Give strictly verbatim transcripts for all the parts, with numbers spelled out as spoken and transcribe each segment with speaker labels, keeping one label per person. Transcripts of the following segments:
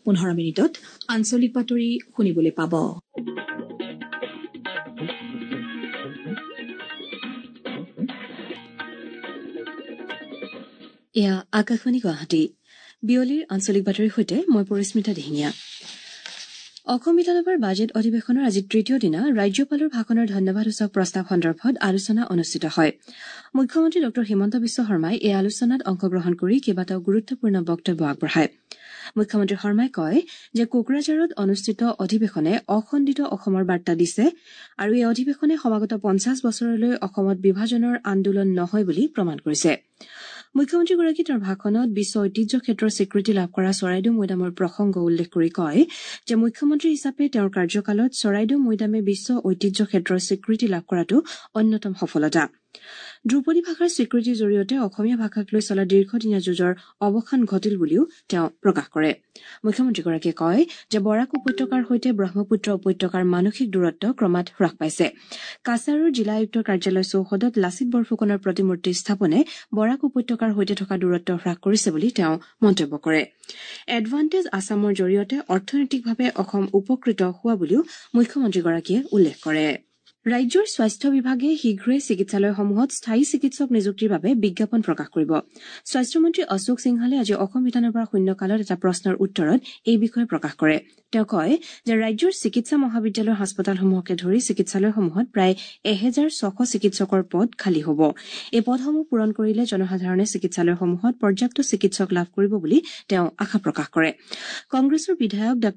Speaker 1: পোন্ধৰ মিনিটত আঞ্চলিক বাতৰি শুনিবলৈ পাব।
Speaker 2: এয়া আকাশবাণী গুৱাহাটী। বিয়লিৰ আঞ্চলিক বাতৰিৰ সৈতে মই পৰিস্মিতা দিহিঙীয়া। অসম বিধানসভাৰ বাজেট অধিৱেশনৰ আজি তৃতীয় দিনা ৰাজ্যপালৰ ভাষণৰ ধন্যবাদসূচক প্ৰস্তাৱ সন্দৰ্ভত আলোচনা অনুষ্ঠিত হয়। মুখ্যমন্ত্ৰী ডঃ হিমন্ত বিশ্ব শৰ্মাই এই আলোচনাত অংশগ্ৰহণ কৰি কেইবাটাও গুৰুত্বপূৰ্ণ বক্তব্য আগবঢ়ায়। মুখ্যমন্ত্ৰী শৰ্মাই কয় যে কোকৰাঝাৰত অনুষ্ঠিত অধিৱেশনে অখণ্ডিত অসমৰ বাৰ্তা দিছে আৰু এই অধিৱেশনে সমাগত পঞ্চাছ বছৰলৈ অসমত বিভাজনৰ আন্দোলন নহয় বুলি প্ৰমাণ কৰিছে। মুখ্যমন্ত্ৰীগৰাকীয়ে তেওঁৰ ভাষণত বিশ্ব ঐতিহ্য ক্ষেত্ৰৰ স্বীকৃতি লাভ কৰা চৰাইদেউ মৈদামৰ প্ৰসংগ উল্লেখ কৰি কয় যে মুখ্যমন্ত্ৰী হিচাপে তেওঁৰ কাৰ্যকালত চৰাইদেউ মৈদামে বিশ্ব ঐতিহ্য ক্ষেত্ৰৰ স্বীকৃতি লাভ কৰাটো অন্যতম সফলতা। ধ্ৰুপদী ভাষাৰ স্বীকৃতিৰ জৰিয়তে অসমীয়া ভাষাক লৈ চলা দীৰ্ঘদিনীয়া যুঁজৰ অৱসান ঘটিল বুলিও তেওঁ প্ৰকাশ কৰে। মুখ্যমন্ত্ৰীগৰাকীয়ে কয় যে বৰাক উপত্যকাৰ সৈতে ব্ৰহ্মপুত্ৰ উপত্যকাৰ মানসিক দূৰত্ব ক্ৰমাৎ হ্ৰাস পাইছে। কাছাৰৰ জিলা আয়ুক্তৰ কাৰ্যালয় চৌহদত লাচিত বৰফুকনৰ প্ৰতিমূৰ্তি স্থাপনে বৰাক উপত্যকাৰ সৈতে থকা দূৰত্ব হ্ৰাস কৰিছে বুলি তেওঁ মন্তব্য কৰে। এডভান্টেজ আছামৰ জৰিয়তে অৰ্থনৈতিকভাৱে অসম উপকৃত হোৱা বুলিও মুখ্যমন্ত্ৰীগৰাকীয়ে উল্লেখ কৰে। ৰাজ্যৰ স্বাস্থ্য বিভাগে শীঘ্ৰেই চিকিৎসালয়সমূহত স্থায়ী চিকিৎসক নিযুক্তিৰ বাবে বিজ্ঞাপন প্ৰকাশ কৰিব। স্বাস্থ্যমন্ত্ৰী অশোক সিংহালে আজি অসম বিধানসভাৰ শূন্যকালত এটা প্ৰশ্নৰ উত্তৰত এই বিষয়ে প্ৰকাশ কৰে। তেওঁ কয় যে ৰাজ্যৰ চিকিৎসা মহাবিদ্যালয়ৰ হাস্পতালসমূহকে ধৰি চিকিৎসালয়সমূহত প্ৰায় এহেজাৰ ছশ চিকিৎসকৰ পদ খালী হ'ব। এই পদসমূহ পূৰণ কৰিলে জনসাধাৰণে চিকিৎসালয়সমূহত পৰ্যাপ্ত চিকিৎসক লাভ কৰিব বুলি তেওঁ আশা প্ৰকাশ কৰে। কংগ্ৰেছৰ বিধায়ক ডাঃ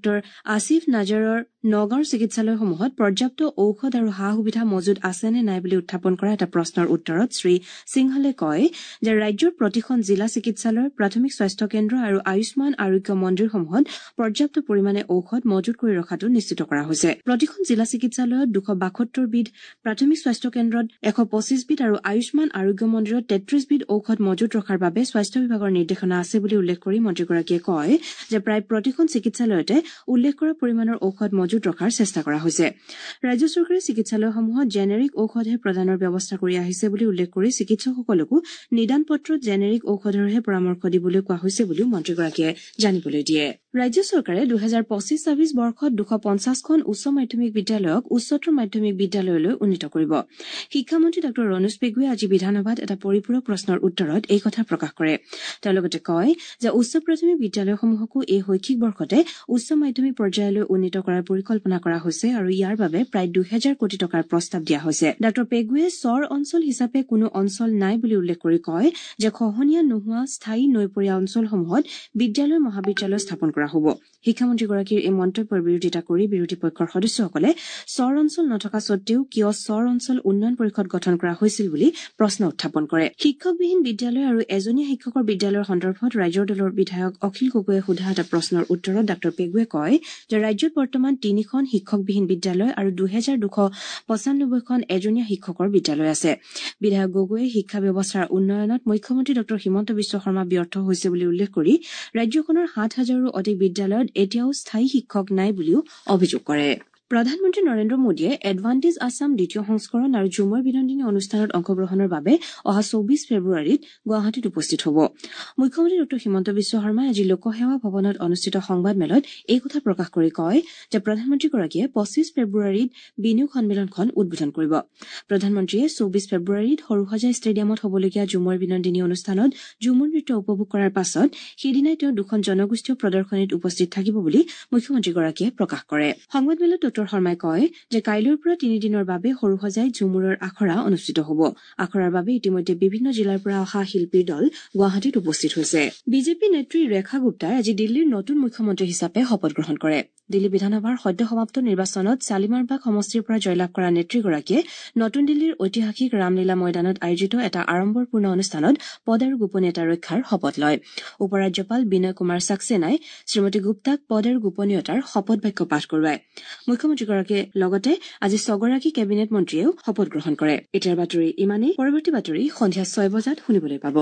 Speaker 2: আসিফ নাজাৰৰ নগাঁৱৰ চিকিৎসালয়সমূহত পৰ্যাপ্ত ঔষধ আৰু সা সুবিধা মজুত আছে নে নাই বুলি উত্থাপন কৰা এটা প্ৰশ্নৰ উত্তৰত শ্ৰী সিংহালে কয় যে ৰাজ্যৰ প্ৰতিখন জিলা চিকিৎসালয়, প্ৰাথমিক স্বাস্থ্য কেন্দ্ৰ আৰু আয়ুষ্মান আৰোগ্য মন্দিৰসমূহত পৰ্যাপ্ত পৰিমাণে ঔষধ মজুত কৰি ৰখাটো নিশ্চিত কৰা হৈছে। প্ৰতিখন জিলা চিকিৎসালয়ত দুশ বাসত্তৰবিধ, প্ৰাথমিক স্বাস্থ্য কেন্দ্ৰত এশ পঁচিছবিধ আৰু আয়ুষ্মান আৰোগ্য মন্দিৰত তেত্ৰিশবিধ ঔষধ মজুত ৰখাৰ বাবে স্বাস্থ্য বিভাগৰ নিৰ্দেশনা আছে বুলি উল্লেখ কৰি মন্ত্ৰীগৰাকীয়ে কয় যে প্ৰায় প্ৰতিখন চিকিৎসালয়তে উল্লেখ কৰা পৰিমাণৰ ঔষধ মজুত ৰখাৰ চেষ্টা কৰা হৈছে। ৰাজ্য চৰকাৰে চিকিৎসালয়সমূহত জেনেৰিক ঔষধহে প্ৰদানৰ ব্যৱস্থা কৰি আহিছে বুলি উল্লেখ কৰি চিকিৎসকসকলকো নিদান পত্ৰত জেনেৰিক ঔষধৰহে পৰামৰ্শ দিবলৈ কোৱা হৈছে বুলিও মন্ত্ৰীগৰাকীয়ে জানিবলৈ দিয়ে। ৰাজ্য চৰকাৰে দুহেজাৰ পঁচিছ ছাব্বিছ বৰ্ষত দুশ পঞ্চাছখন উচ্চ মাধ্যমিক বিদ্যালয়ক উচ্চতৰ মাধ্যমিক বিদ্যালয়লৈ উন্নীত কৰিব। শিক্ষামন্ত্ৰী ডাঃ ৰণোজ পেগুৱে আজি বিধানসভাত এটা পৰিপূৰক প্ৰশ্নৰ উত্তৰত এই কথা প্ৰকাশ কৰে। তেওঁ লগতে কয় যে উচ্চ প্ৰাথমিক বিদ্যালয়সমূহকো এই শৈক্ষিক বৰ্ষতে উচ্চ মাধ্যমিক পৰ্যায়লৈ উন্নীত কৰাৰ পৰিকল্পনা কৰা হৈছে আৰু ইয়াৰ বাবে প্ৰায় দুহেজাৰ কোটি টকাৰ প্ৰস্তাৱ দিয়া হৈছে। ডাঃ পেগুৱে চৰ অঞ্চল হিচাপে কোনো অঞ্চল নাই বুলি উল্লেখ কৰি কয় যে খহনীয়া নোহোৱা স্থায়ী নৈপৰীয়া অঞ্চলসমূহত বিদ্যালয় মহাবিদ্যালয় স্থাপন কৰা হ'ব। শিক্ষামন্ত্ৰীগৰাকীৰ এই মন্তব্যৰ বিৰোধিতা কৰি বিৰোধী পক্ষৰ সদস্যসকলে চৰ অঞ্চল নথকা সত্বেও কিয় চৰ অঞ্চল উন্নয়ন পৰিষদ গঠন কৰা হৈছিল বুলি প্ৰশ্ন উত্থাপন কৰে। শিক্ষকবিহীন বিদ্যালয় আৰু এজনীয়া শিক্ষকৰ বিদ্যালয়ৰ সন্দৰ্ভত ৰাইজৰ দলৰ বিধায়ক অখিল গগৈয়ে সোধা এটা প্ৰশ্নৰ উত্তৰত ডাঃ পেগুৱে কয় যে ৰাজ্যত বৰ্তমান তিনিখন শিক্ষকবিহীন বিদ্যালয় আৰু দুহেজাৰ দুশ পঁচানব্বৈখন এজনীয়া শিক্ষকৰ বিদ্যালয় আছে। বিধায়ক গগৈয়ে শিক্ষা ব্যৱস্থাৰ উন্নয়নত মুখ্যমন্ত্ৰী ডাঃ হিমন্ত বিশ্ব শৰ্মা ব্যৰ্থ হৈছে বুলি উল্লেখ কৰি ৰাজ্যখনৰ সাত হাজাৰৰো অধিক বিদ্যালয়ত এতিয়াও স্থায়ী শিক্ষক নাই বুলিও অভিযোগ কৰে। প্ৰধানমন্ত্ৰী নৰেন্দ্ৰ মোদীয়ে এডভান্টেজ আছাম দ্বিতীয় সংস্কৰণ আৰু ঝুমুৰ বিনন্দিনী অনুষ্ঠানত অংশগ্ৰহণৰ বাবে অহা চৌবিশ ফেব্ৰুৱাৰীত গুৱাহাটীত উপস্থিত হ'ব। মুখ্যমন্ত্ৰী ডাঃ হিমন্ত বিশ্ব শৰ্মাই আজি লোকসেৱা ভৱনত অনুষ্ঠিত সংবাদমেলত এই কথা প্ৰকাশ কৰি কয় যে প্ৰধানমন্ত্ৰীগৰাকীয়ে পঁচিছ ফেব্ৰুৱাৰীত বিনিয়োগ সন্মিলনখন উদ্বোধন কৰিব। প্ৰধানমন্ত্ৰীয়ে চৌবিশ ফেব্ৰুৱাৰীত সৰুসজাই ষ্টেডিয়ামত হ'বলগীয়া ঝুমুৰ বিনন্দিনী অনুষ্ঠানত ঝুমুৰ নৃত্য উপভোগ কৰাৰ পাছত সেইদিনাই তেওঁ দুখন জনগোষ্ঠীয় প্ৰদৰ্শনীত উপস্থিত থাকিব বুলি মুখ্যমন্ত্ৰীগৰাকীয়ে প্ৰকাশ কৰে। সংবাদমেলত ডাঃ শৰ্মাই কয় যে কাইলৈৰ পৰা তিনিদিনৰ বাবে সৰুসজাইত ঝুমুৰৰ আখৰা অনুষ্ঠিত হ'ব। আখৰাৰ বাবে ইতিমধ্যে বিভিন্ন জিলাৰ পৰা অহা শিল্পীৰ দল গুৱাহাটীত উপস্থিত হৈছে। বিজেপি নেত্ৰী ৰেখা গুপ্তাই আজি দিল্লীৰ নতুন মুখ্যমন্ত্ৰী হিচাপে শপত গ্ৰহণ কৰে। দিল্লী বিধানসভাৰ সদ্য সমাপ্ত নিৰ্বাচনত শালিমাৰবাগ সমষ্টিৰ পৰা জয়লাভ কৰা নেত্ৰীগৰাকীয়ে নতুন দিল্লীৰ ঐতিহাসিক ৰামলীলা ময়দানত আয়োজিত এটা আড়ম্বৰপূৰ্ণ অনুষ্ঠানত পদ আৰু গোপনীয়তা ৰক্ষাৰ শপত লয়। উপ ৰাজ্যপাল বিনয় কুমাৰ ছাক্সেনাই শ্ৰীমতী গুপ্তাক পদ আৰু গোপনীয়তাৰ শপত বাক্য পাঠ কৰোৱায়। মুখ্যমন্ত্ৰীগৰাকীয়ে লগতে আজি ছগৰাকী কেবিনেট মন্ত্ৰীয়েও শপত গ্ৰহণ কৰে। এতিয়াৰ বাতৰি ইমানেই। পৰৱৰ্তী বাতৰি সন্ধিয়া ছয় বজাত শুনিবলৈ পাব।